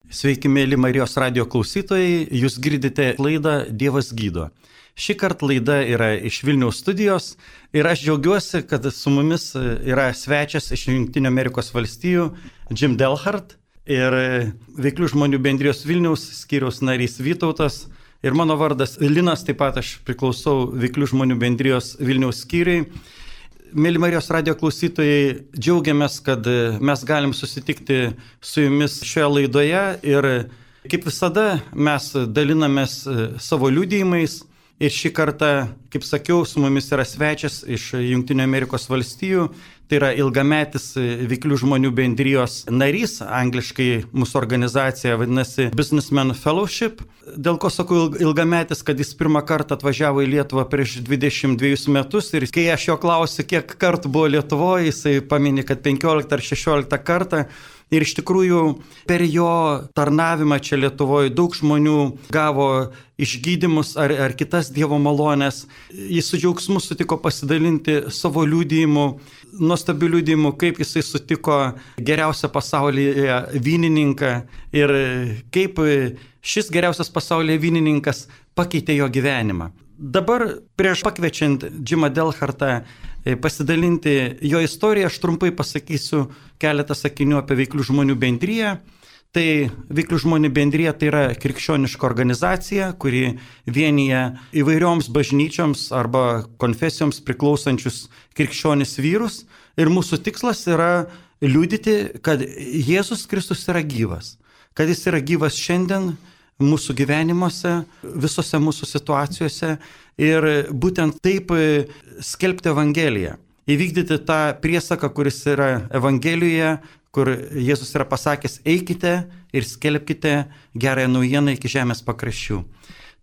Sveiki, mėly Marijos radio klausytojai, jūs girdite laidą Dievas gydo. Šį kartą laida yra iš Vilniaus studijos ir aš džiaugiuosi, kad su mumis yra svečias iš Jungtinių Amerikos valstijų Jim Delhart ir Veiklių žmonių bendrijos Vilniaus skyriaus narys Vytautas ir mano vardas Linas, taip pat aš priklausau Veiklių žmonių bendrijos Vilniaus skyriui. Mėly Marijos radio klausytojai, džiaugiamės, kad mes galim susitikti su jumis šioje laidoje ir kaip visada mes dalinamės savo liudijimais ir šį kartą, kaip sakiau, su mumis yra svečias iš Jungtinių Amerikos valstijų, tai yra ilgametis Veiklių žmonių bendrijos narys, angliškai mūsų organizacija vadinasi Businessman Fellowship. Dėl ko sakau ilgametis, kad jis pirmą kartą atvažiavo į Lietuvą prieš 22 metus ir kai aš jo klausiu, kiek kartų buvo Lietuvoje, jisai paminė, kad 15 ar 16 kartą. Ir iš tikrųjų per jo tarnavimą čia Lietuvoje daug žmonių gavo išgydymus ar kitas Dievo malonės. Jis su džiaugsmu sutiko pasidalinti savo liudijimu, nuostabių liudijimų, kaip jisai sutiko geriausią pasaulyje vynininką ir kaip šis geriausias pasaulyje vynininkas pakeitė jo gyvenimą. Dabar prieš pakviečiant Jimą Delhartą pasidalinti jo istoriją, aš trumpai pasakysiu keletą sakinių apie Veiklių žmonių bendriją. Tai Veiklių žmonių bendrija tai yra krikščioniška organizacija, kuri vienyje įvairioms bažnyčioms arba konfesijoms priklausančius krikščionis vyrus. Ir mūsų tikslas yra liudyti, kad Jėzus Kristus yra gyvas, kad jis yra gyvas šiandien mūsų gyvenimuose, visose mūsų situacijose ir būtent taip skelbti Evangeliją. Įvykdyti tą priesaką, kuris yra Evangelijoje, kur Jėzus yra pasakęs, eikite ir skelbkite gerąją naujieną iki žemės pakraščių.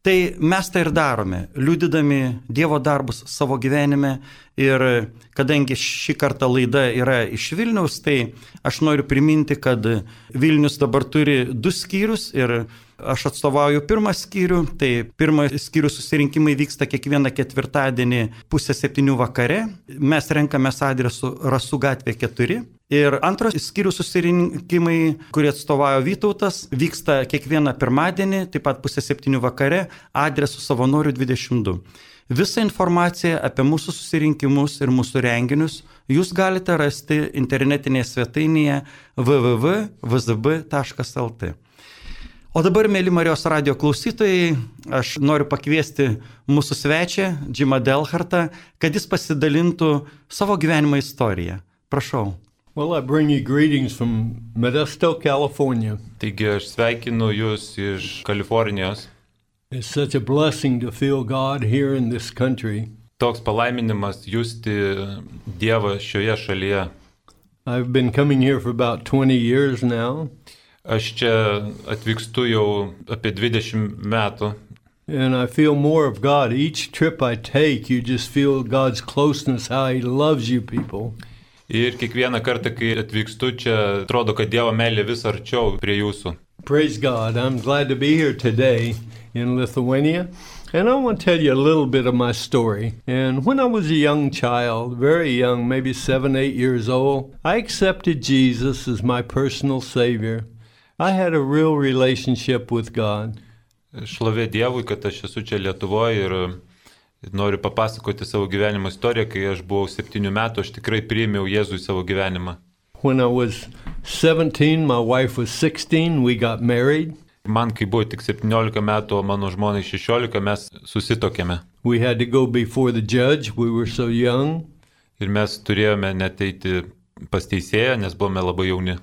Tai mes tai ir darome, liudydami Dievo darbus savo gyvenime ir kadangi šį kartą laida yra iš Vilniaus, tai aš noriu priminti, kad Vilnius dabar turi 2 skyrius ir aš atstovauju pirmą skyrių, tai pirmą skyrių susirinkimai vyksta kiekvieną ketvirtadienį 6:30 vakare. Mes renkamės adresu Rasų gatvė 4. Ir antros skyrių susirinkimai, kurie atstovauja Vytautas, vyksta kiekvieną pirmadienį, taip pat 6:30 vakare, adresu Savanorių 22. Visą informaciją apie mūsų susirinkimus ir mūsų renginius jūs galite rasti internetinėje svetainėje www.vzb.lt. O dabar, mėly Marijos radio klausytojai, aš noriu pakviesti mūsų svečią, Jimą Delhartą, kad jis pasidalintų savo gyvenimo istoriją. Prašau. Well, I bring you greetings from Modesto, California. Taigi aš sveikinu jūs iš Kalifornijos. It's such a blessing to feel God here in this country. Toks palaiminimas justi Dievą šioje šalyje. I've been coming here for about 20 years now. Aš čia atvykstu jau apie 20 metų. And I feel more of God. Each trip I take, you just feel God's closeness, how He loves you people. Ir kiekvieną kartą, kai atvykstu čia, atrodo, kad Dievo meilė vis arčiau prie jūsų. Praise God. I'm glad to be here today in Lithuania. And I want to tell you a little bit of my story. And when I was a young child, very young, maybe 7, 8 years old, I accepted Jesus as my personal Savior. I had a real relationship with God. Šlovė Dievui, kad aš esu čia Lietuvoje ir noriu papasakoti savo gyvenimo istoriją. Kai aš buvau 7 metų, aš tikrai priėmiau Jėzų į savo gyvenimą. When I was 17, my wife was 16, we got married. Man, kai buvo tik 17 metų, o mano žmonai 16, mes susitokėme. We had to go before the judge, we were so young. Ir mes turėjome net eiti pas teisėją, nes buvome labai jauni.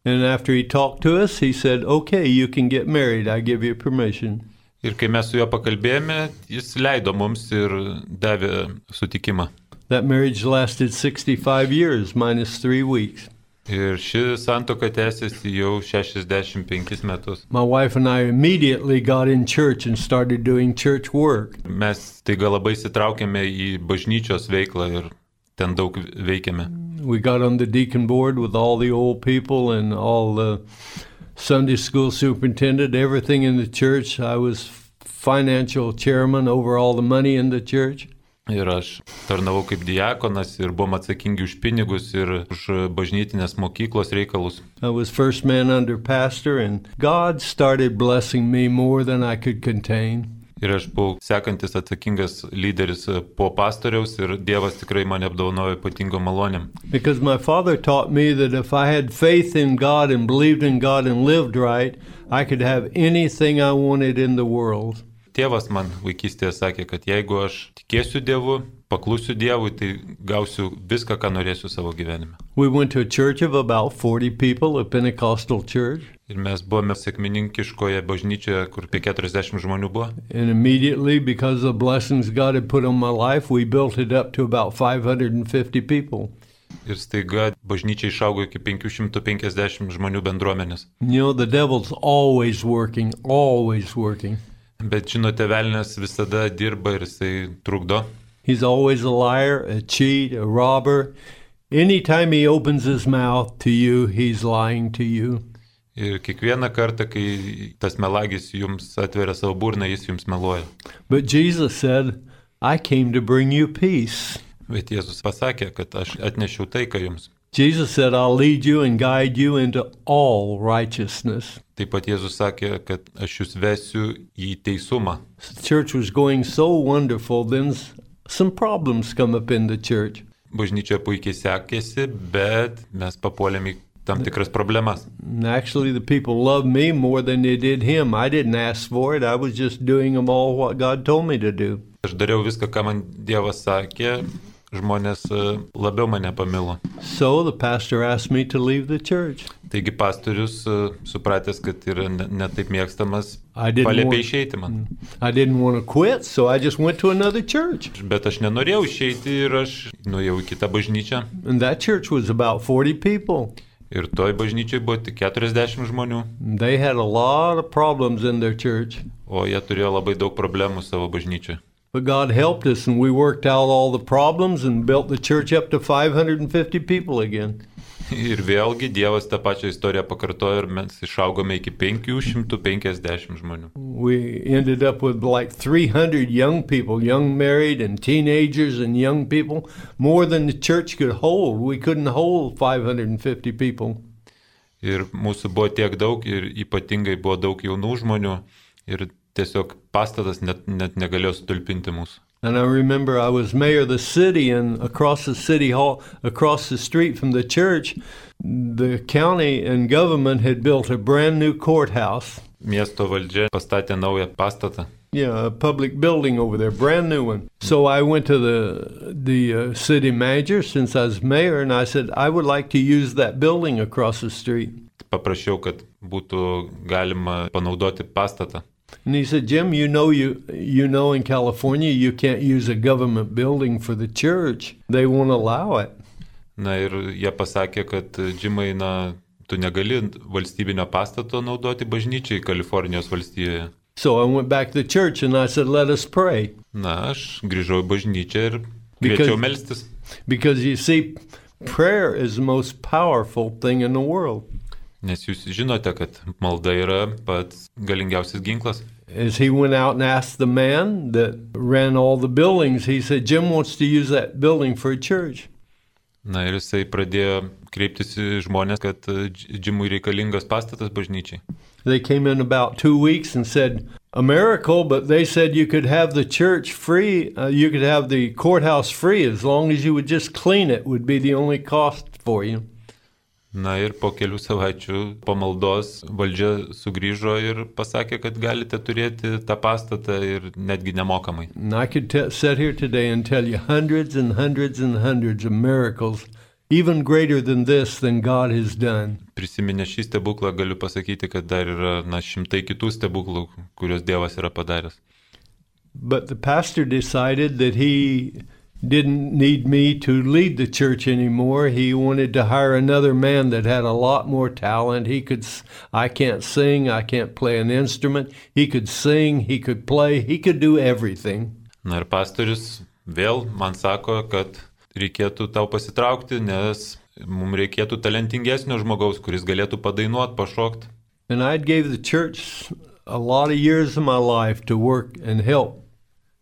And after he talked to us, he said, okay, you can get married, I give you permission. Ir kai mes su juo pakalbėjome, jis leido mums ir davė sutikimą. That marriage lasted 65 years, minus 3 weeks. Ir ši santuoka tęsiasi jau 65 metus. My wife and I immediately got in church and started doing church work. Mes taiga labai įsitraukėme į bažnyčios veiklą ir ten daug veikėme. We got on the deacon board with all the old people and all the Sunday school superintendent, everything in the church. I was financial chairman over all the money in the church. Ir aš tarnavau kaip diakonas ir buvom atsakingi už pinigus ir už bažnytinės mokyklos reikalus. I was first man under pastor, and God started blessing me more than I could contain. Ir aš buvau sekantis atsakingas lyderis po pastoriaus ir Dievas tikrai mane apdovanojo ypatingo malonėm. Because my father taught me that if I had faith in God and believed in God and lived right, I could have anything I wanted in the world. Tėvas man vaikystėje sakė, kad jeigu aš tikėsiu Dievu, paklusiu Dievui, tai gausiu viską, ką norėsiu savo gyvenime. We went to a church of about 40 people, a Pentecostal church. Ir mes buvome sekmininkiškoje bažnyčioje, kur apie 40 žmonių buvo. And immediately, because of the blessings God had put on my life, we built it up to about 550 people. Ir staiga bažnyčia išaugo iki 550 žmonių bendruomenės. You know, the devil's always working, always working. Bet žinote, velnias visada dirba ir jisai trukdo. He's always a liar, a cheat, a robber. Anytime he opens his mouth to you, he's lying to you. Ir kiekvieną kartą, kai tas melagis jums atveria savo burną, jis jums meluoja. But Jesus said, I came to bring you peace. Bet Jėzus pasakė, kad aš atnešiau taiką jums. Jesus said, I'll lead you and guide you into all righteousness. Taip pat Jėzus sakė, kad aš jūs vesiu į teisumą. The church was going so wonderful, then some problems come up in the church. Bažnyčia puikiai sekėsi, bet mes papuolėm į tam tikras problemas. And actually, the people loved me more than they did him. I didn't ask for it. I was just doing them all what God told me to do. Aš dariau viską, ką man Dievas sakė, žmonės labiau mane pamilo. So the pastor asked me to leave the church. Taigi pastorius, supratęs, kad yra ne taip mėgstamas, I didn't paliepė want- išeiti man. I didn't want to quit, so I just went to another church. Bet aš nenorėjau išeiti ir aš nuėjau į kitą bažnyčią. And that church was about 40 people. Ir toj bažnyčiai buvo tik 40 žmonių, They had a lot of problems in their church. o jie turėjo labai daug problemų savo bažnyčioje. But God helped us, and we worked out all the problems and built the church up to 550 people again. Ir vėlgi Dievas tą pačią istoriją pakartojo ir mes išaugome iki 550 žmonių. We ended up with like 300 young people, young married and teenagers and young people, more than the church could hold. We couldn't hold 550 people. Ir mūsų buvo tiek daug ir ypatingai buvo daug jaunų žmonių ir tiesiog pastatas net negalėjo sutulpinti mūsų. And I remember I was mayor of the city, and across the city hall, across the street from the church, the county and government had built a brand new courthouse. Miesto valdžia pastatė naują pastatą. Yeah, a public building over there, brand new one. So I went to the city manager since I was mayor, and I said, I would like to use that building across the street. Paprašiau, kad būtų galima panaudoti pastatą. And he said, Jim, you know in California you can't use a government building for the church. They won't allow it. Na ir jie pasakė, kad Džimai, tu negali valstybinio pastato naudoti bažnyčiai Kalifornijos valstijoje. So I went back to the church and I said, let us pray. Na, aš grįžau į bažnyčią ir kviečiau melstis. Because you see, prayer is the most powerful thing in the world. Nes jūs žinote, kad malda yra pats galingiausias ginklas. As he went out and asked the man that ran all the buildings, he said, Jim wants to use that building for a church. Na ir jisai pradėjo kreiptis į žmonės, kad Džimui reikalingas pastatas bažnyčiai. They came in about 2 weeks and said, a miracle, but they said you could have the church free, you could have the courthouse free as long as you would just clean it would be the only cost for you. Na ir po kelių savaičių po maldos valdžia sugrįžo ir pasakė, kad galite turėti tą pastatą ir netgi nemokamai. And I could sit here today and tell you hundreds and hundreds and hundreds of miracles, even greater than this, than God has done. Prisiminę šį stebuklą galiu pasakyti, kad dar yra šimtai kitų stebuklų, kuriuos Dievas yra padaręs. But the pastor decided that he didn't need me to lead the church anymore. He wanted to hire another man that had a lot more talent. I can't sing, I can't play an instrument. He could sing, he could play, he could do everything. Na ir pastorius vėl man sako, kad reikėtų tau pasitraukti, nes mums reikėtų talentingesnio žmogaus, kuris galėtų padainuoti, pašokti. And I'd gave the church a lot of years of my life to work and help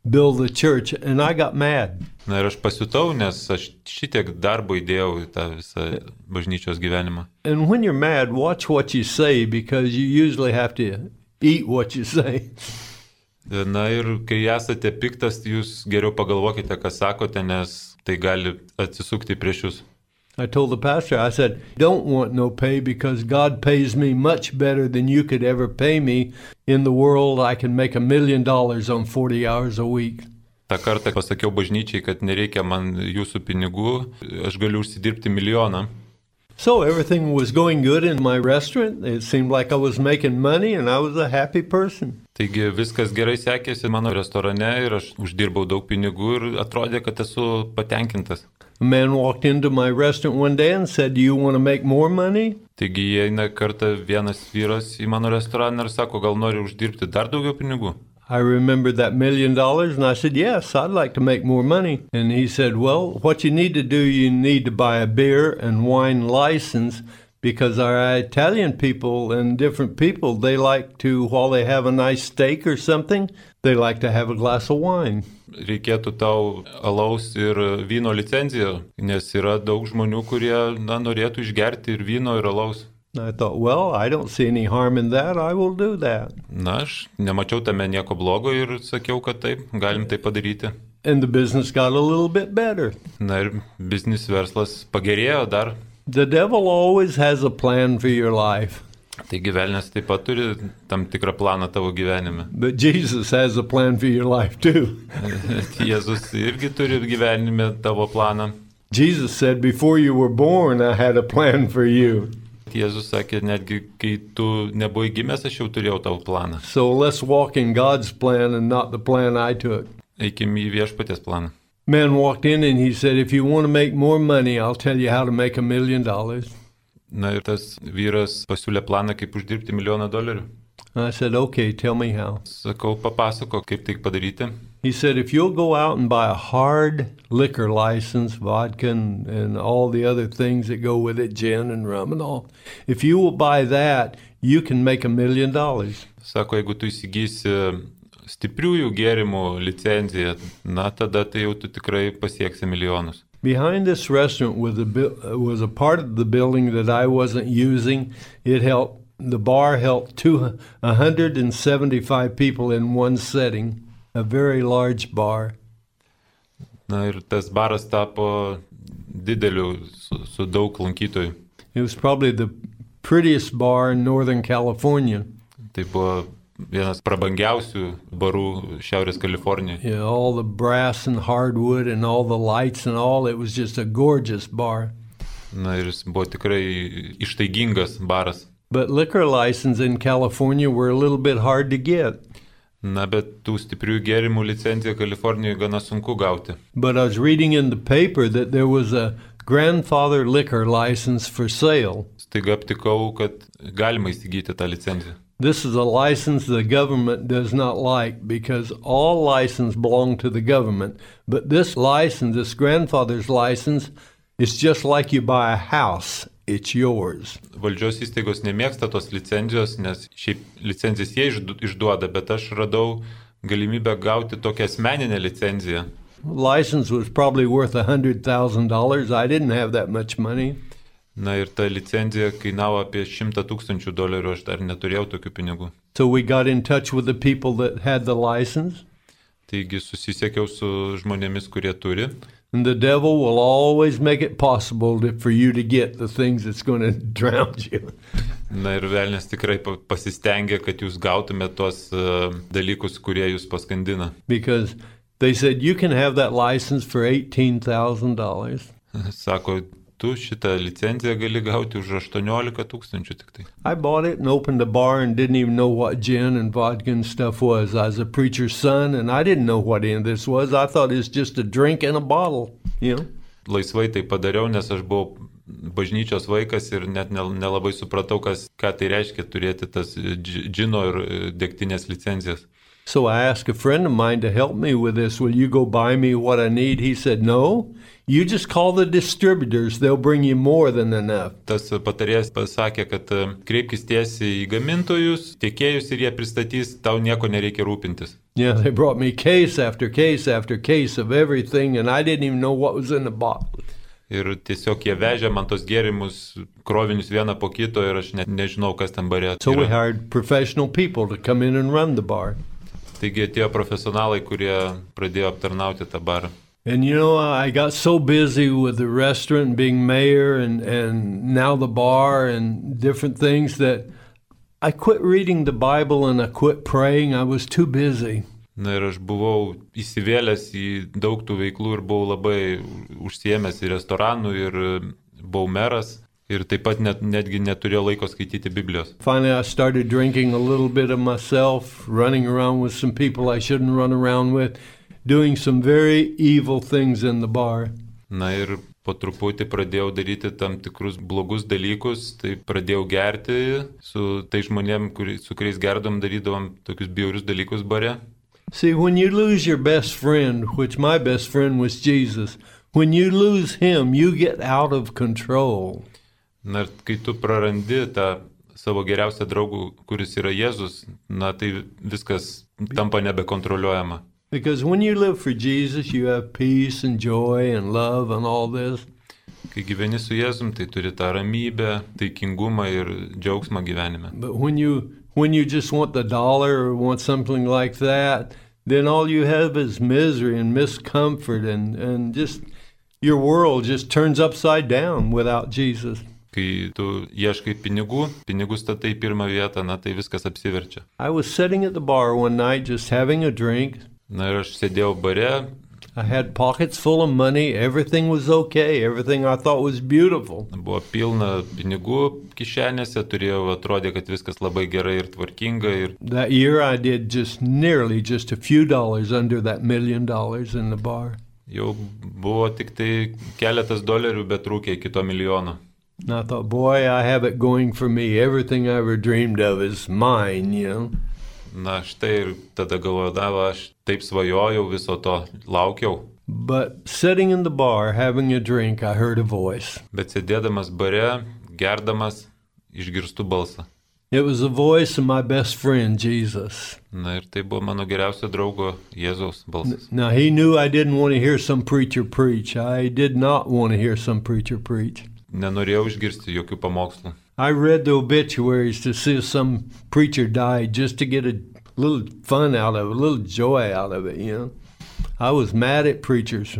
build the church, and I got mad. Na ir aš pasijutau, nes aš šitiek darbo įdėjau į tą visą bažnyčios gyvenimą. And when you're mad, watch what you say, because you usually have to eat what you say. Na ir kai esate piktas, jūs geriau pagalvokite, ką sakote, nes tai gali atsisukti prieš jūs. I told the pastor, I said, don't want no pay because God pays me much better than you could ever pay me. In the world, I can make $1 million on 40 hours a week. Ta kartą pasakiau bažnyčiai, kad nereikia man jūsų pinigų, aš galiu užsidirbti milijoną. So everything was going good in my restaurant. It seemed like I was making money and I was a happy person. Taigi viskas gerai sekėsi mano restorane ir aš uždirbau daug pinigų ir atrodė, kad esu patenkintas. A man walked into my restaurant one day and said, do you want to make more money? Taigi įeina kartą vienas vyras į mano restoraną ir sako, gal nori uždirbti dar daugiau pinigų. I remembered that $1 million and I said, yes, I'd like to make more money. And he said, well, what you need to do, you need to buy a beer and wine license because our Italian people and different people, they like to, while they have a nice steak or something, they like to have a glass of wine. Reikėtų tau alaus ir vyno licenciją, nes yra daug žmonių, kurie norėtų išgerti ir vyno ir alaus. I thought, well, I don't see any harm in that. I will do that. Na, aš nemačiau tame nieko blogo ir sakiau, kad taip, galim tai padaryti. And the business got a little bit better. Na ir biznis verslas pagerėjo dar. The devil always has a plan for your life. Taigi velnias taip pat turi tam tikrą planą tavo gyvenime. But Jesus has a plan for your life too. Jėzus irgi turi gyvenime tavo planą. Jesus said, before you were born, I had a plan for you. Jėzus sakė, netgi kai tu nebuvai gimęs, aš jau turėjau tavo planą. So let's walk in God's plan and not the plan I took. Eikim į viešpaties planą. Man walked in and he said, if you want to make more money, I'll tell you how to make $1 million. Na ir tas vyras pasiūlė planą, kaip uždirbti $1 milijoną. I said, okay, tell me how. Sakau, papasako, kaip tai padaryti. He said, if you'll go out and buy a hard liquor license, vodka and all the other things that go with it, gin and rum and all, if you will buy that, you can make $1 million. Sako, jeigu tu įsigysi stipriųjų gėrimų licenciją, na tada tai jau tu tikrai pasieksi milijonus. Behind this restaurant was a part of the building that I wasn't using. The bar held 175 people in one setting. A very large bar. Na ir tas baras tapo dideliu su daug lankytojų. It was probably the prettiest bar in Northern California. Tai buvo vienas prabangiausių barų Šiaurės Kalifornijoje. Yeah, all the brass and hardwood and all the lights and all, it was just a gorgeous bar. Na ir jis buvo tikrai ištaigingas baras. But liquor license in California were a little bit hard to get. Na, bet tų stiprių gėrimų licenciją Kalifornijoje gana sunku gauti. But I was reading in the paper that there was a grandfather liquor license for sale. Staiga aptikau, kad galima įsigyti tą licenciją. This is a license the government does not like because all license belong to the government. But this license, this grandfather's license, is just like you buy a house. It's yours. Valdžios įstaigos nemėgsta tos licencijos, nes šiaip licencijas jie išduoda, bet aš radau galimybę gauti tokią asmeninę licenciją. License was probably worth $100,000. I didn't have that much money. Na ir ta licencija kainavo apie $100,000, aš dar neturėjau tokių pinigų. So we got in touch with the people that had the license. Taigi susisiekiau su žmonėmis, kurie turi. And the devil will always make it possible for you to get the things that's going to drown you. Na ir velnias tikrai pasistengia, kad jūs gautumėte tos dalykus, kurie jūs paskandina. Because they said you can have that license for $18,000. Sako, tu šitą licenciją gali gauti už 18,000 tik tai. I bought it and opened a bar and didn't even know what gin and vodka and stuff was. I was a preacher's son and I didn't know what any of this was. I thought it was just a drink in a bottle, you know. Laisvai tai padariau, nes aš buvau bažnyčios vaikas ir net nelabai supratau, ką tai reiškia turėti tas džino ir degtinės licencijas. So I asked a friend of mine to help me with this. Will you go buy me what I need? He said, no. You just call the distributors. They'll bring you more than enough. Tas patarėjas pasakė, kad kreipkis tiesiai į gamintojus, tiekėjus ir jie pristatys, tau nieko nereikia rūpintis. Yeah, they brought me case after case after case of everything, and I didn't even know what was in the bottle. Ir tiesiog jie vežė man tos gėrimus, krovinius vieną po kito ir aš net nežinau, kas ten bare. So we hired professional people to come in and run the bar. Taigi atėjo profesionalai, kurie pradėjo aptarnauti tą barą. And you know, I got so busy with the restaurant and being mayor and now the bar and different things that I quit reading the Bible and I quit praying. I was too busy. Na ir aš buvau įsivėlęs į daug tų veiklų ir buvau labai užsiėmęs į restoranų ir buvau meras ir taip pat netgi neturėjau laiko skaityti Biblijos. Finally, I started drinking a little bit of myself, running around with some people I shouldn't run around with, doing some very evil things in the bar. Na ir po truputį pradėjau daryti tam tikrus blogus dalykus, tai pradėjau gerti su tai žmonėm, su kuriais gerdom, darydavom tokius bjaurius dalykus bare. See, when you lose your best friend, which my best friend was Jesus, when you lose him, you get out of control. Na ir kai tu prarandi tą savo geriausią draugą, kuris yra Jėzus, na tai viskas tampa nebekontroliuojama. Because when you live for Jesus, you have peace and joy and love and all this. Kai gyveni su Jėzum, tai turi tą ramybę, taikingumą ir džiaugsmą gyvenime. But when you just want the dollar or want something like that, then all you have is misery and miscomfort and just your world just turns upside down without Jesus. Kai tu ieškai pinigų statai pirmą vietą, na tai viskas apsiverčia. I was sitting at the bar one night just having a drink. Na ir aš sėdėjau bare. I had pockets full of money, everything was okay, everything I thought was beautiful. Buvo pilna pinigų kišenėse, atrodė, kad viskas labai gerai ir tvarkinga. Ir that year I did nearly just a few dollars under that $1 million in the bar. Jau buvo tik tai keletas dolerių, bet trūkė iki to milijono. And I thought, boy, I have it going for me. Everything I ever dreamed of is mine, you know. Na štai ir tada galvodavo, aš taip svajojau, viso to laukiau. But sitting in the bar, having a drink, I heard a voice. Bet sėdėdamas bare, gerdamas, išgirstu balsą. It was the voice of my best friend, Jesus. Na ir tai buvo mano geriausio draugo Jėzaus balsas. Now he knew I didn't want to hear some preacher preach. I did not want to hear some preacher preach. Nenorėjau išgirsti jokių pamokslų. I read the obituaries to see if some preacher died just to get a little fun out of it, a little joy out of it, you know. I was mad at preachers.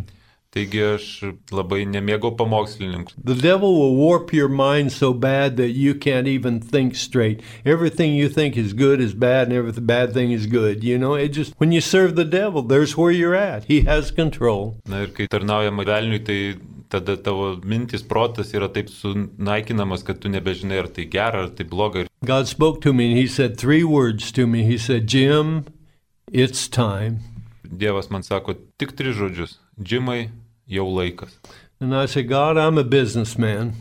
Taigi aš labai nemėgau pamokslininkų. The devil will warp your mind so bad that you can't even think straight. Everything you think is good is bad and every bad thing is good, you know. It just, when you serve the devil, there's where you're at. He has control. Na ir kai tarnaujama velniui, tai tada tavo mintis, protas yra taip sunaikinamas, kad tu nebežinai, ar tai gera, ar tai bloga. God spoke to me and he said 3 words to me. He said, Jim, it's time. Dievas man sako tik 3 žodžius. Džimai, jau laikas. And I said, God, I'm a businessman.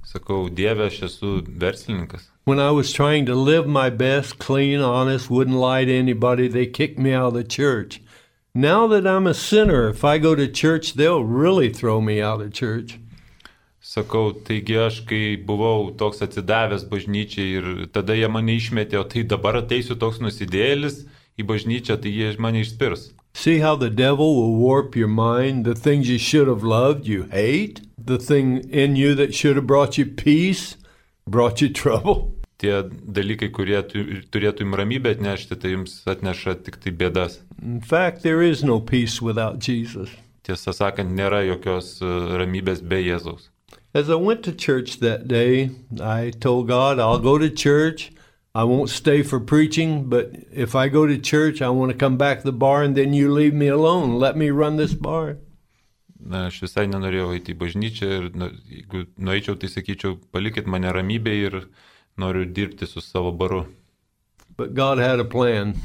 Sakau, Dieve, aš esu verslininkas. When I was trying to live my best, clean, honest, wouldn't lie to anybody, they kicked me out of the church. Now that I'm a sinner, if I go to church, they'll really throw me out of church. Sakau, taigi aš, kai buvau toks atsidavęs bažnyčiai ir tada jie mane išmetė, o tai dabar ateisiu toks nusidėlis į bažnyčią, tai jie mane išspirs. See how the devil will warp your mind? The things you should have loved, you hate. The thing in you that should have brought you peace, brought you trouble. Tie dalykai, kurie turėtų jums ramybę atnešti, tai jums atneša tik tai bėdas. In fact, there is no peace without Jesus. Tiesą sakant, nėra jokios ramybės be Jėzaus. As I went to church that day, I told God, I'll go to church. I won't stay for preaching, but if I go to church, I want to come back to the bar and then you leave me alone. Let me run this bar. Na, aš visai nenorėjau eiti į bažnyčią ir jeigu nueičiau, tai sakyčiau, palikit mane ramybėje ir noriu dirbti su savo baru. But God had a plan.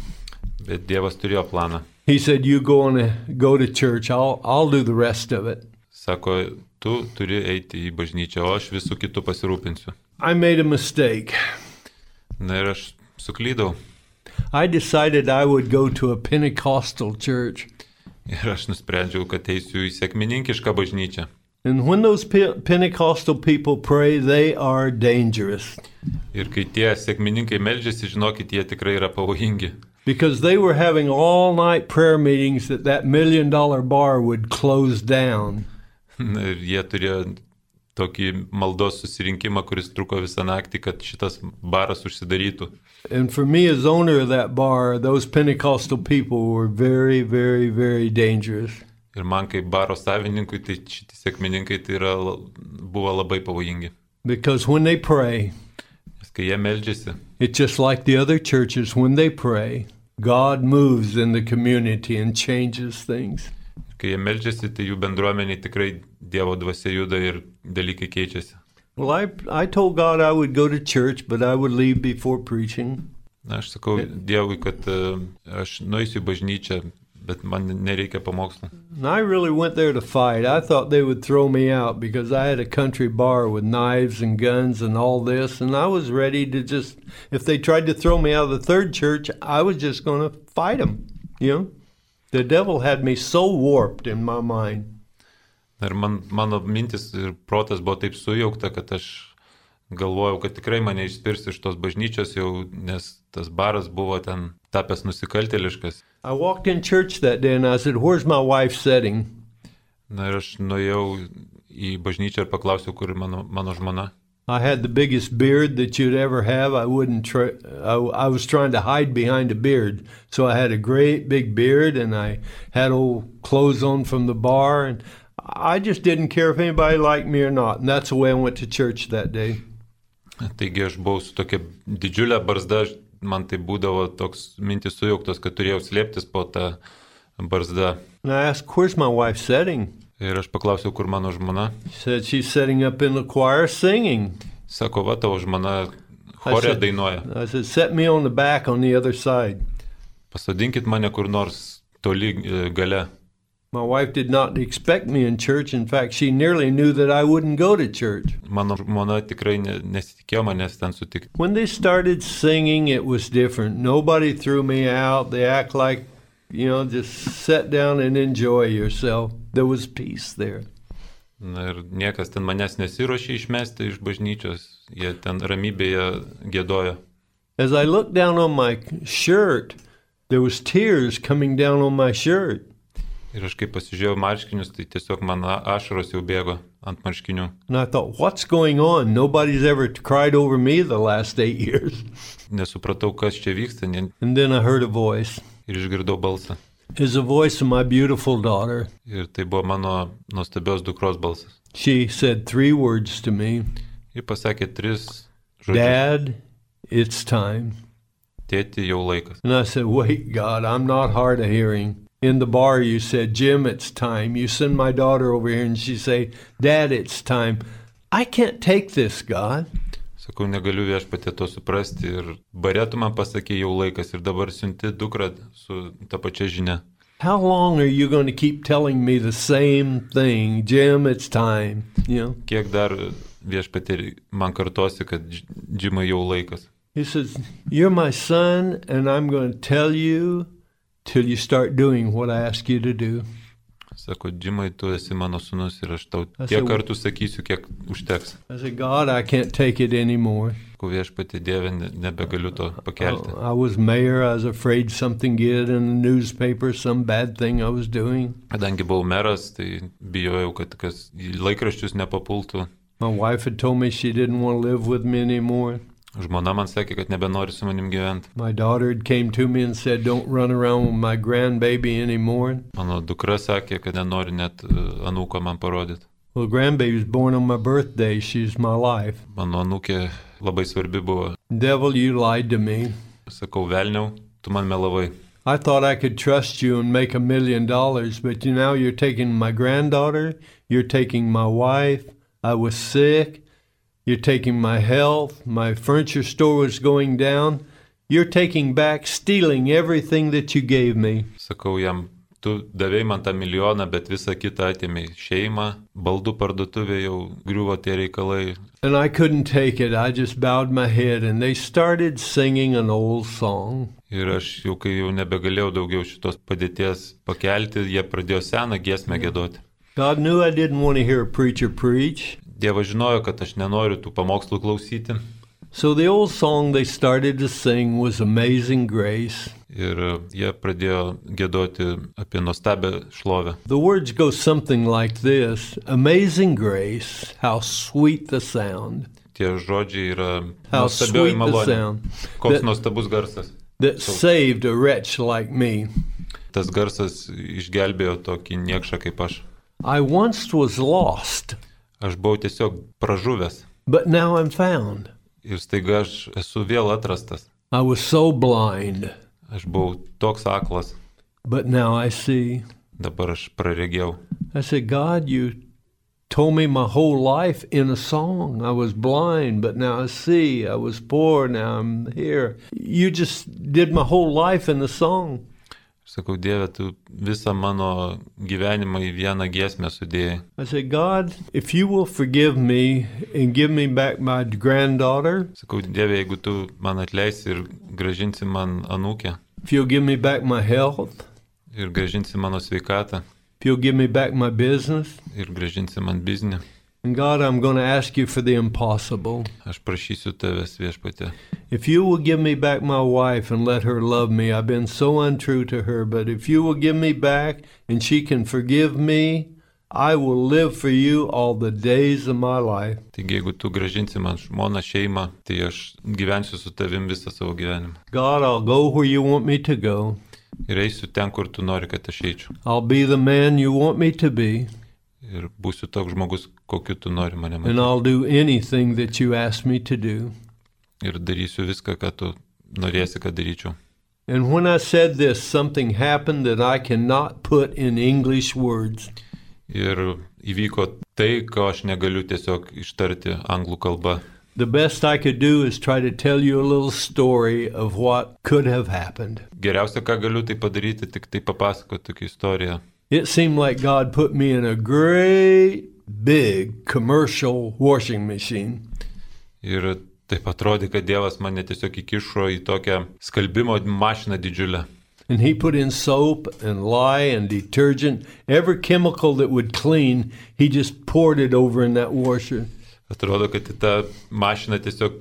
Bet Dievas turėjo planą. He said, you go to church, I'll do the rest of it. Sako, tu turi eiti į bažnyčią, o aš visų kitų pasirūpinsiu. I made a mistake. Na ir aš suklydau. I decided I would go to a Pentecostal church. Ir aš nusprendžiau, kad eisiu į sekmininkišką bažnyčią. And when those Pentecostal people pray, they are dangerous. Ir kai tie sekmininkai meldžiasi, žinokit, jie tikrai yra pavojingi. because they were having all-night prayer meetings that $1 million bar would close down. Ir jie turėjo tokį maldos susirinkimą, kuris truko visą naktį, kad šitas baras užsidarytų. And for me as owner of that bar, those Pentecostal people were very, very, very dangerous. Ir man kaip baro savininkui, tai šitie sekmininkai tai buvo labai pavojingi. Because when they pray, Nes kai jie meldžiasi, it's just like the other churches, when they pray, God moves in the community and changes things. kai jie meldžiasi, tai jų bendruomeniai tikrai Dievo dvasia juda ir dalykai keičiasi. Well, I told God I would go to church, but I would leave before preaching. Na, aš sakau Dievui, kad aš nueisiu į bažnyčią, bet man nereikia pamokslo. And I really went there to fight. I thought they would throw me out because I had a country bar with knives and guns and all this, and I was ready to just, if they tried to throw me out of the third church, I was just going to fight them, you know? The devil had me so warped in my mind. Ir mano mintis ir protas buvo taip sujaukta, kad aš galvojau, kad tikrai mane išspirs iš tos bažnyčios jau, nes tas baras buvo ten tapęs nusikaltėliškas. I walked in church that day and I said, "Where's my wife sitting?" Na ir aš nuėjau į bažnyčią ir paklausiau, kur mano žmona. I had the biggest beard that you'd ever have. I was trying to hide behind a beard. So I had a great big beard and I had old clothes on from the bar, and I just didn't care if anybody liked me or not. And that's the way I went to church that day. Taigi aš buvau su tokia didžiulė barzda, man tai būdavo toks mintis sujauktos, kad turėjau slėptis po tą barzdą. And I asked, "Where's my wife sitting?" Ir aš paklausiau, kur mano žmona. She said, "She's sitting up in the choir singing." Sako, va, tavo žmona chore dainuoja. I said, "Set me on the back on the other side." Pasodinkit mane kur nors toli gale. My wife did not expect me in church. In fact, she nearly knew that I wouldn't go to church. Mano žmona tikrai nesitikėjo manęs ten sutikti. When they started singing, it was different. Nobody threw me out. They act like, you know, just sit down and enjoy yourself. There was peace there. Na ir niekas ten manęs nesiruošė išmesti iš bažnyčios. Jie ten ramybėje giedojo. As I looked down on my shirt, there was tears coming down on my shirt. Ir aš kai pasižiūrėjau marškinius, tai tiesiog man ašaros jau bėgo ant marškinių. And I thought, what's going on? Nobody's ever cried over me the last 8 years. Nesupratau, kas čia vyksta, And then I heard a voice. ir išgirdau balsą. It's the voice of my beautiful daughter. Ir tai buvo mano nuostabios dukros balsas. She said 3 words to me. Ji pasakė 3 žodžius. Dad, it's time. Tėti, jau laikas. And I said, wait, God, I'm not hard of hearing. In the bar, you said, Jim, it's time. You send my daughter over here and she say, Dad, it's time. I can't take this, God. Sakau, negaliu viešpatie to suprasti ir bare tu man pasakė jau laikas ir dabar siunti dukrą su ta pačia žinia. How long are you going to keep telling me the same thing? Jim, it's time. You know? Kiek dar viešpatie man kartosi, kad Džimai jau laikas. He says, you're my son and I'm going to tell you till you start doing what I ask you to do. Sako, Džimai, tu esi mano sūnus ir aš tau tiek kartų sakysiu, kiek užteks. I said, God, I can't take it anymore. Ko viešpatie Dieve, nebegaliu to pakelti. I was mayor. I was afraid something get in the newspaper, some bad thing I was doing. Kadangi buvau meras, tai bijojau, kad kas į laikraščius nepapultų. My wife had told me she didn't want to live with me anymore. Žmona man sakė, kad nebenori su manim gyventi. My daughter came to me and said, don't run around with my grandbaby anymore. Mano dukra sakė, kad nenori net anūko man parodyti. Well, grandbaby was born on my birthday. She's my life. Mano anūkė labai svarbi buvo. Devil, you lied to me. Sakau, velniau, tu man melavai. I thought I could trust you and make $1 million, but now you're taking my granddaughter, you're taking my wife. I was sick. You're taking my health. My furniture store was going down. You're taking back, stealing everything that you gave me. Sakau jam, tu davėjai man tą milijoną, bet visą kitą atėmei. Šeimą, baldų parduotuvė jau griuvo tie reikalai. And I couldn't take it. I just bowed my head and they started singing an old song. Ir aš jau, kai jau nebegalėjau daugiau šitos padėties pakelti, jie pradėjo seną giesmę giedoti. God knew I didn't want to hear a preacher preach. Dievas žinojo, kad aš nenoriu tų pamokslų klausyti. So the old song they started to sing was Amazing Grace. ir jie pradėjo giedoti apie nuostabią šlovę. The words go something like this: Amazing grace, how sweet the sound. Tie žodžiai yra How nuostabioji sweet the malonė. sound Koks that- nuostabus garsas. that saved a wretch like me. Tas garsas išgelbėjo tokį niekšą kaip aš. I once was lost, Aš buvau tiesiog pražuvęs but now I'm found. ir staiga aš esu vėl atrastas. I was so blind, Aš buvau toks aklas, but now I see. dabar aš praregėjau. I said, God, you told me my whole life in a song. I was blind, but now I see. I was poor, now I'm here. You just did my whole life in a song. Sakau, Dieve, tu visą mano gyvenimą į vieną giesmę sudėjai. I said, God, if you will forgive me and give me back my granddaughter, Sakau, Dieve, jeigu tu man atleisi ir grąžinsi man anūkę if you'll give me back my health, ir grąžinsi mano sveikatą if you'll give me back my business, ir grąžinsi man biznį, and God, I'm going to ask you for the impossible. aš prašysiu tavęs, Viešpatie. If you will give me back my wife and let her love me, I've been so untrue to her, but if you will give me back and she can forgive me, I will live for you all the days of my life. Taigi, jeigu tu grąžinsi man žmoną, šeimą, tai aš gyvensiu su tavim visą savo gyvenimą. God, I'll go where you want me to go. Ir eisiu ten, kur tu nori, kad aš eičiau. I'll be the man you want me to be, Ir būsiu toks žmogus, kokiu tu nori mane and matyti. I'll do anything that you ask me to do. Ir darysiu viską, ką tu norėsi, kad daryčiau. And when I said this, something happened that I cannot put in English words. Ir įvyko tai, ko aš negaliu tiesiog ištarti anglų kalba. The best I could do is try to tell you a little story of what could have happened. Geriausia, ką galiu tai padaryti, tik tai papasakoti tokią istoriją. It seemed like God put me in a great, big commercial washing machine. Ir taip atrodė, kad Dievas mane tiesiog įkišo į tokią skalbimo mašiną didžiulę. And he put in soap and lye and detergent, every chemical that would clean, he just poured it over in that washer. Atrodo, kad į tą mašiną tiesiog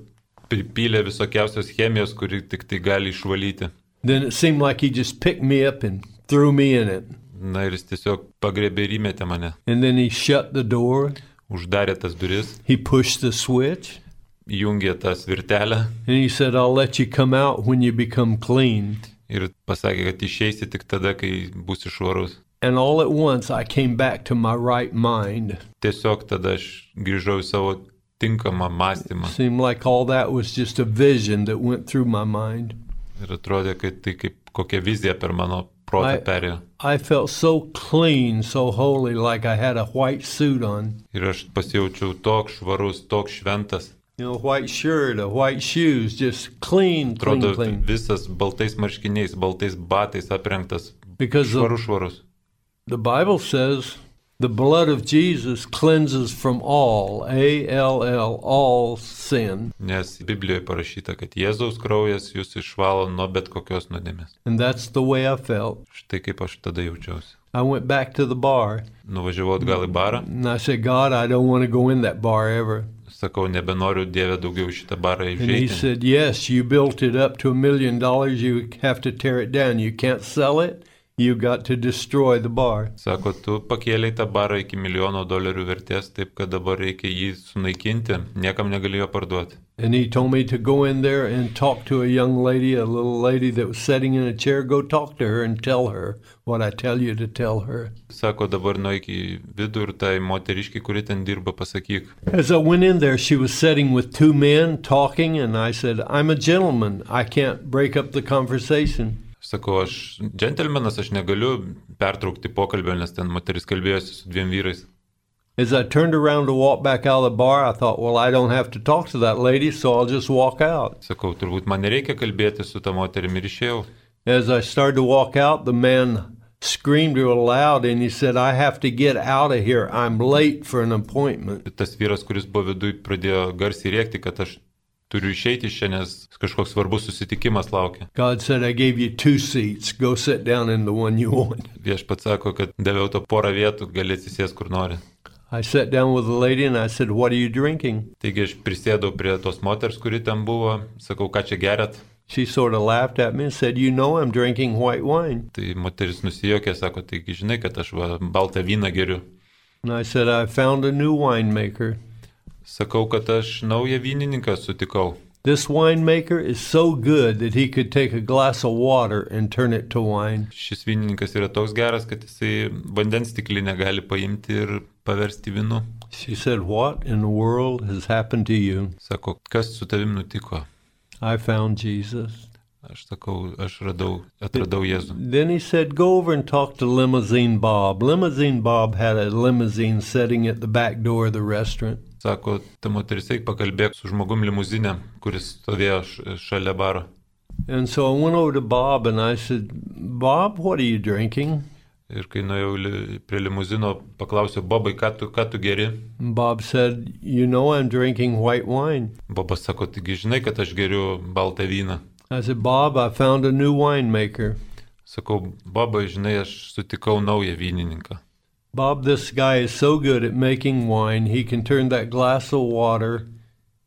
pripylė visokiausios chemijos, kuri tik tai gali išvalyti. Then it seemed like he just picked me up and threw me in it. Na ir jis tiesiog pagrebė ir įmetė mane. And then he shut the door, Uždarė tas duris, he pushed the switch, įjungė tą svirtelę and he said, I'll let you come out when you become clean. ir pasakė, kad išeisi tik tada, kai būsi švarus. And all at once I came back to my right mind. Tiesiog tada aš grįžau į savo tinkamą mąstymą. Seemed like all that was just a vision that went through my mind. Ir atrodė, kad tai kaip kokia vizija per mano protą perėjo. I felt so clean, so holy, like I had a white suit on. Ir aš pasijaučiau toks švarus, toks šventas. You know, white shirt, a white shoes, just clean, clean, Atrodo, clean. visas baltais marškiniais, baltais batais aprengtas. Because Švarus. the Bible says the blood of Jesus cleanses from all, A-L-L, all sin. Nes Biblijoje parašyta, kad Jėzaus kraujas jūs išvalo nuo bet kokios nuodėmės. And that's the way I felt. Štai kaip aš tada jaučiausi. I went back to the bar, Nuvažiavau atgal į barą, and I said, God, I don't want to go in that bar ever. sakau, nebenoriu Dieve daugiau į šitą barą And he įžeidti. said, yes, you built it up to $1 million. You have to tear it down. You can't sell it. You got to destroy the bar. Sako, tu pakėlei tą barą iki $1 milijono vertės, taip kad dabar reikia jį sunaikinti, niekam negalėjo parduoti. And he told me to go in there and talk to a young lady, a little lady that was sitting in a chair. Go talk to her and tell her what I tell you to tell her. Sako, dabar nueik į vidų ir tai moteriškiai, kuri ten dirba, pasakyk. As I went in there, she was sitting with two men talking, and I said, I'm a gentleman. I can't break up the conversation. Sakau, aš džentelmenas, aš negaliu pertraukti pokalbio, nes ten moteris kalbėjosi su 2 vyrais. As I turned around to walk back out of the bar, I thought, well, I don't have to talk to that lady, so I'll just walk out. Sakau, turbūt man nereikia kalbėti su tą moterimi ir išėjau. As I started to walk out, the man screamed real loud, and he said, I have to get out of here. I'm late for an appointment. Tas vyras, kuris buvo viduj, pradėjo garsiai rėkti, kad aš turiu išeiti iš čia, nes kažkoks svarbus susitikimas laukia. God said, I gave you 2 seats. Go sit down in the one you want. Viešpats sako, kad daviau to porą vietų, gali atsisės kur nori. I sat down with the lady and I said, "What are you drinking?" Taigi aš prisėdau prie tos moters, kuri ten buvo, sakau, ką čia gerat. She sort of laughed at me and said, "You know I'm drinking white wine." Tai moteris nusijokė, sako, taigi žinai, kad aš baltą vyną geriu. And I said, "I found a new winemaker. Sakau, kad aš naują vynininką sutikau. This winemaker is so good that he could take a glass of water and turn it to wine." Šis vynininkas yra toks geras, kad jisai vandens stiklinę gali paimti ir paversti vynu. She said, "What in the world has happened to you?" Sako, kas su tavim nutiko? I found Jesus. Aš sakau, aš atradau Jėzų. Then he said, "Go over and talk to Limousine Bob." Limousine Bob had a limousine sitting at the back door of the restaurant. Sako, ta moteris, eik pakalbėk su žmogum limuzinė, kuris stovėjo šalia baro. And so I went over to Bob and I said, "Bob, what are you drinking?" Ir kai nuėjau prie limuzino, paklausiau, Bobai, ką tu geri? Bob said, "You know I'm drinking white wine." Bobas sako, taigi žinai, kad aš geriu baltą vyną. I said, "Bob, I found a new winemaker." Sakau, Bobai, žinai, aš sutikau naują vynininką. Bob, this guy is so good at making wine, he can turn that glass of water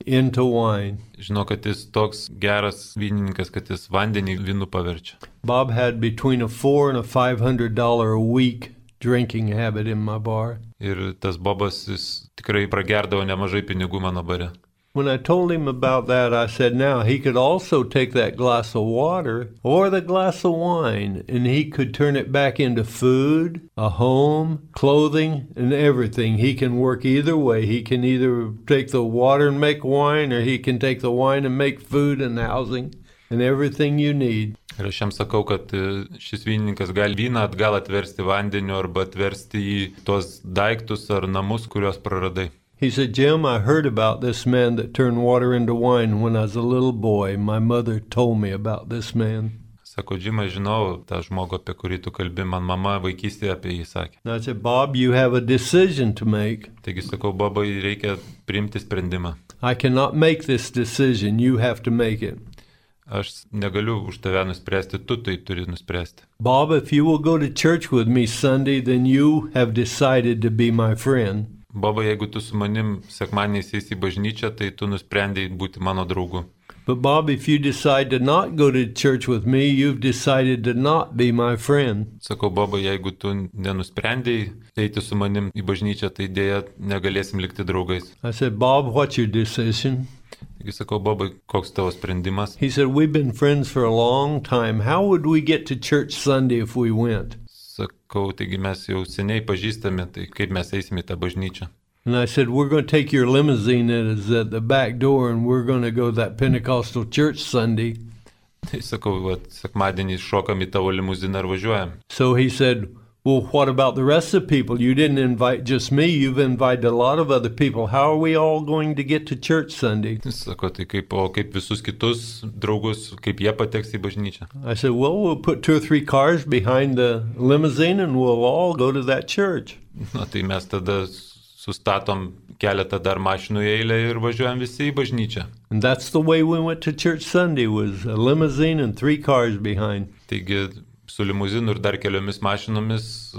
into wine. Žinau, kad jis toks geras vynininkas, kad jis vandenį vynu paverčia. Bob had between a $400 and a $500 a week drinking habit in my bar. Ir tas Bobas, jis tikrai pragerdavo nemažai pinigų mano bare. When I told him about that, I said, now he could also take that glass of water or the glass of wine, and he could turn it back into food, a home, clothing, and everything. He can work either way. He can either take the water and make wine, or he can take the wine and make food and housing and everything you need. Ir aš jam sakau, kad šis vynininkas gali vyną atgal atversti vandeniu arba atversti į tuos daiktus ar namus, kuriuos praradai. He said, "Jim, I heard about this man that turned water into wine when I was a little boy. My mother told me about this man." Sako, Džimai, žinau tą žmogų, apie kurį tu kalbi, man mama vaikystėje apie jį sakė. And I said, "Bob, you have a decision to make." Taigi sakau, Bobai, reikia priimti sprendimą. "I cannot make this decision. You have to make it." Aš negaliu už tave nuspręsti, tu tai turi nuspręsti. "Bob, if you will go to church with me Sunday, then you have decided to be my friend." Boba, jeigu tu su manim sekmadieniais eisi į bažnyčią, tai tu nusprendėjai būti mano draugu. "But Bob, if you decide to not go to church with me, you've decided to not be my friend." Sakau, Boba, jeigu tu nenusprendėjai eiti su manim į bažnyčią, tai dėja negalėsim likti draugais. I said, "Bob, what's your decision?" Taigi sakau, Boba, koks tavo sprendimas? He said, "We've been friends for a long time. How would we get to church Sunday if we went?" Sakau, taigi mes jau seniai pažįstame, tai kaip mes eisime į tą bažnyčią. And I said, "We're going to take your limousine that is at the back door and we're going to go to that Pentecostal church Sunday." Tai sakau, sekmadienį šokam į tavo limuziną ir važiuojam. So he said, "Well, what about the rest of the people? You didn't invite just me. You've invited a lot of other people. How are we all going to get to church Sunday?" Sako, tai kaip visus kitus draugus, kaip jie pateks į bažnyčią. I said, "Well, we'll put 2 or 3 cars behind the limousine and we'll all go to that church." Na, tai mes tada sustatom keletą dar mašinų į eilę ir važiuojam visi į bažnyčią. And that's the way we went to church Sunday, was a limousine and 3 cars behind. Taigi su limuzinu ir dar keliomis mašinomis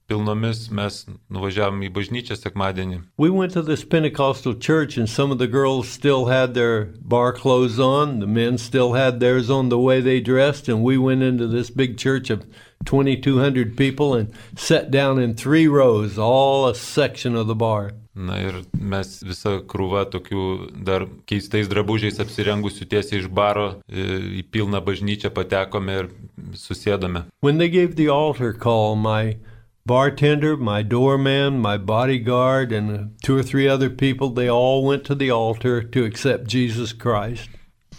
pilnomis mes nuvažiavom į bažnyčią sekmadienį. We went to this Pentecostal church and some of the girls still had their bar clothes on, the men still had theirs on the way they dressed, and we went into this big church of 2,200 people and sat down in 3 rows, all a section of the bar. Na ir mes visą krūvą tokių dar keistais drabužiais apsirengusių tiesiai iš baro į pilną bažnyčią patekome ir susėdome. When they gave the altar call, my bartender, my doorman, my bodyguard, and 2 or 3 other people, they all went to the altar to accept Jesus Christ.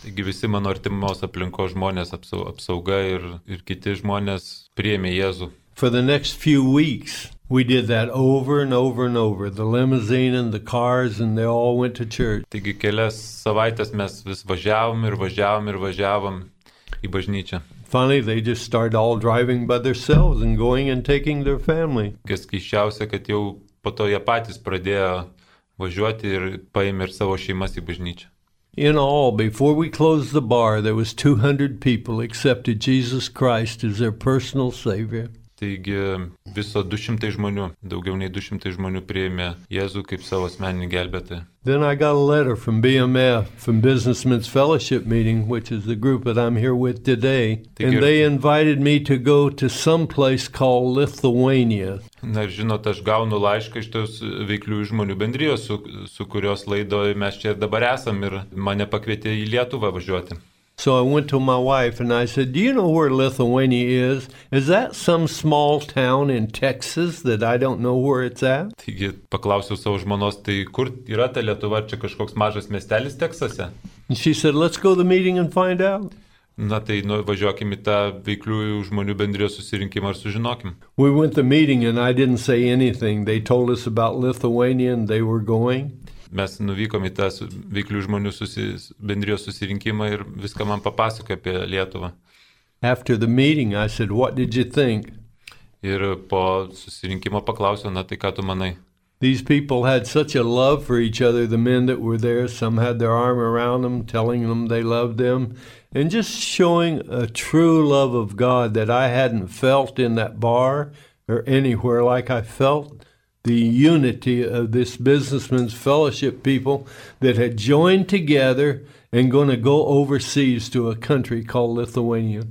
Taigi visi mano artimos aplinkos žmonės, apsauga ir kiti žmonės priėmė Jėzų. For the next few weeks, we did that over and over and over. The limousine and the cars, and they all went to church. Taigi kelias savaitės mes vis važiavom į bažnyčią. Finally, they just started all driving by themselves and going and taking their family. Kas keisčiausia, kad jau po to jie patys pradėjo važiuoti ir paėmė ir savo šeimas į bažnyčią. In all, before we closed the bar, there was 200 people accepted Jesus Christ as their personal Savior. Taigi viso 200 žmonių, daugiau nei 200 žmonių priėmė Jėzų kaip savo asmeninį gelbėtoją. Then I got a letter from BMF, from Businessmen's Fellowship Meeting, which is the group that I'm here with today, and they invited me to go to some place called Lithuania. Na ir žinot, aš gaunu laišką iš tos veikliųjų žmonių bendrijos, su kurios laidoje mes čia ir dabar esam, ir mane pakvietė į Lietuvą važiuoti. So I went to my wife and I said, do you know where Lithuania is? Is that some small town in Texas that I don't know where it's at? Taigi paklausiau savo žmonos, tai kur yra ta Lietuva, čia kažkoks mažas miestelis Teksase? And she said, let's go to the meeting and find out. Na tai važiuokim į tą veikliųjų žmonių bendrijos susirinkimą ir sužinokim. We went to the meeting and I didn't say anything. They told us about Lithuania and they were going. Mes nuvykom į tą veiklių žmonių bendrijos susirinkimą ir viską man papasakojo apie Lietuvą. After the meeting, I said, what did you think? Ir po susirinkimo paklausiau, na tai ką tu manai? These people had such a love for each other, the men that were there. Some had their arm around them, telling them they loved them, and just showing a true love of God that I hadn't felt in that bar or anywhere like I felt the unity of this Businessmen's Fellowship people that had joined together and going to go overseas to a country called Lithuania.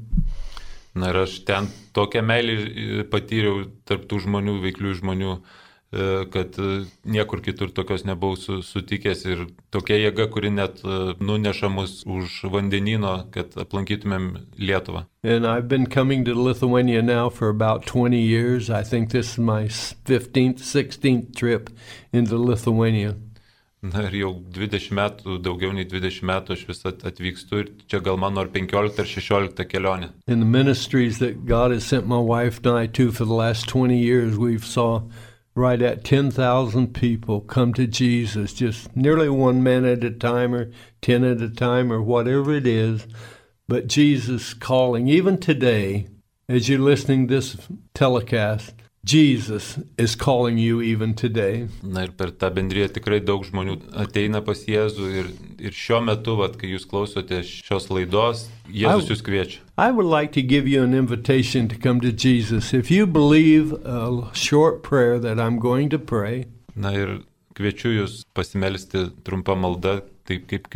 Na ir aš ten tokią meilę patyriau tarp tų žmonių, veiklių žmonių, kad niekur kitur tokios nebuvau sutikęs ir tokia jėga, kuri net nuneša mus už vandenyno, kad aplankytumėm Lietuvą. And I've been coming to Lithuania now for about 20 years. I think this is my 15th, 16th trip into Lithuania. Na ir jau 20 metų, daugiau nei 20 metų aš vis atvykstu ir čia gal mano ar 15 ar 16 kelionė. In the ministries that God has sent my wife and I to for the last 20 years, we've saw right at 10,000 people come to Jesus, just nearly one man at a time or 10 at a time or whatever it is. But Jesus calling, even today, as you're listening to this telecast, Jesus is calling you even today. Na ir per tą bendriją tikrai daug žmonių ateina pas Jėzų ir šiuo metu, kai jūs klausote šios laidos, Jėzus jūs kviečia. I would like to give you an invitation to come to Jesus. If you believe a short prayer that I'm going to pray. Na ir kviečiu jūs pasimelsti trumpą maldą, taip kaip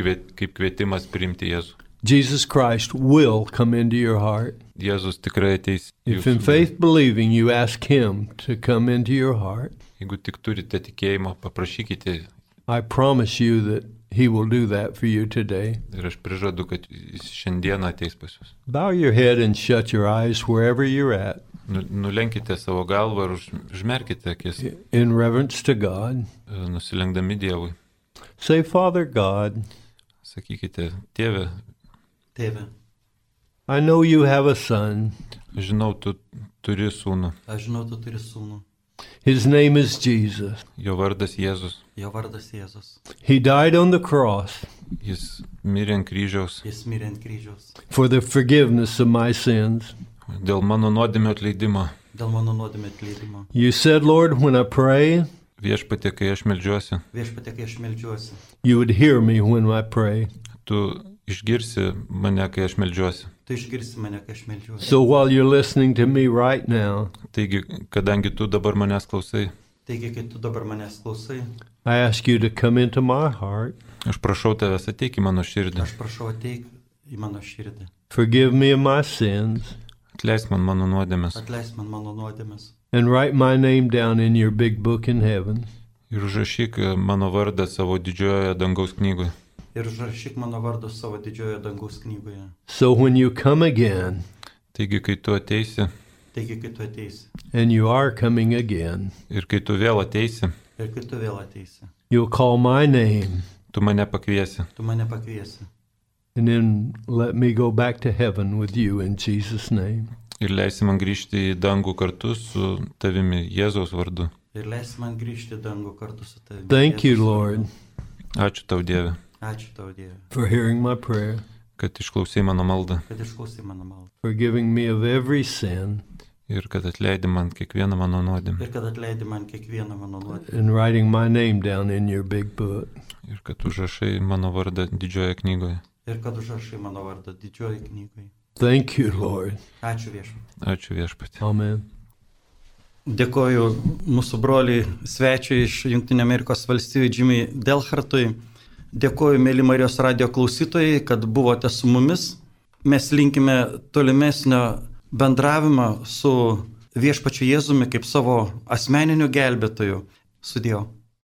kvietimas priimti Jėzų. Jesus Christ will come into your heart. Jėzus tikrai ateis. If in faith believing you ask him to come into your heart, jeigu tik turite tikėjimo, paprašykite. I promise you that he will do that for you today. Ir aš prižadu, kad jis šiandieną ateis pas jūs. Bow your head and shut your eyes wherever you're at. Nulenkite savo galvą ir užmerkite akis. In reverence to God. Nusilenkdami Dievui. Say, Father God. Sakykite, Tėve. Tėve. I know you have a son. Aš žinau, tu turi sūnų. Aš žinau, tu turi sūnų. His name is Jesus. Jo vardas Jėzus. Jo vardas Jėzus. He died on the cross. Jis mirė ant kryžiaus. Jis mirė ant kryžiaus. For the forgiveness of my sins. Dėl mano nuodėmių atleidimo. Dėl mano nuodėmių atleidimo. You said, Lord, when I pray, Viešpatie, kai aš meldžiuosi. Viešpatie, kai aš meldžiuosi. You would hear me when I pray. Tu išgirsi mane, kai aš meldžiuosi. Tu išgirsi mane, kai aš meldžiuosi. So while you're listening to me right now, taigi, kadangi tu dabar manęs klausai, taigi, kai tu dabar manęs klausai, I ask you to come into my heart. Aš prašau tavęs, ateik į mano širdį. Aš prašau, ateik į mano širdį. Forgive me of my sins. Atleisk man mano nuodėmes. Atleisk man mano nuodėmes. And write my name down in your big book in heaven. Ir užrašyk mano vardą savo didžiojoje dangaus knygoje. Ir užrašyk mano vardą savo didžiojoje dangaus knygoje. So when you come again, taigi, kai tu ateisi, and you are coming again, ir kai tu vėl ateisi, you'll call my name, tu mane pakviesi, and then let me go back to heaven with you in Jesus' name. Ir leisi man grįžti į dangų kartu su tavimi Jėzaus vardu. Thank you, Lord. Ačiū tau, Dieve. Ačiū tau, Dieve. For hearing my prayer. Kad išklausai mano maldą. For giving me of every sin. Ir kad atleidi man kiekvieną mano nuodėmę. And writing my name down in your big book. Ir kad užrašai mano vardą didžiojoje knygoje. Thank you, Lord. Ačiū viešpatie. Ačiū viešpatie. Amen. Dėkoju mūsų broliui svečiui iš Junktinių Amerikos valstijų Jimmy Delhartui. Dėkoju, mėly Marijos radio klausytojai, kad buvote su mumis. Mes linkime tolimesnio bendravimo su Viešpačiu Jėzumi kaip savo asmeniniu gelbėtoju. Sudiev.